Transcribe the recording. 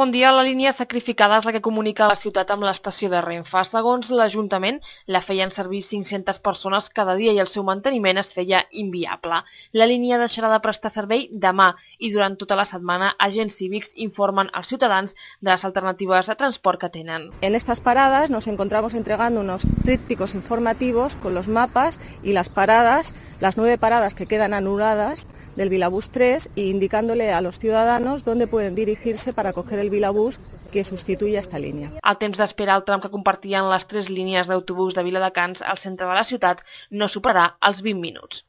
Bon dia, la línia sacrificada és la que comunica la ciutat amb l'estació de Renfe. Segons l'Ajuntament, la feien servir 500 persones cada dia i el seu manteniment es feia inviable. La línia deixarà de prestar servei demà i durant tota la setmana agents cívics informen als ciutadans de les alternatives de transport que tenen. En estas paradas nos encontramos entregando unos trípticos informativos con los mapas y las paradas, las 9 paradas que quedan anuladas del Vilabús 3 e indicándole a los ciudadanos dónde pueden dirigirse para coger el Vilabús que sustituye esta línia. El temps d'espera al tram que compartien les 3 línies d'autobús de Viladecans al centre de la ciutat no superarà els 20 minuts.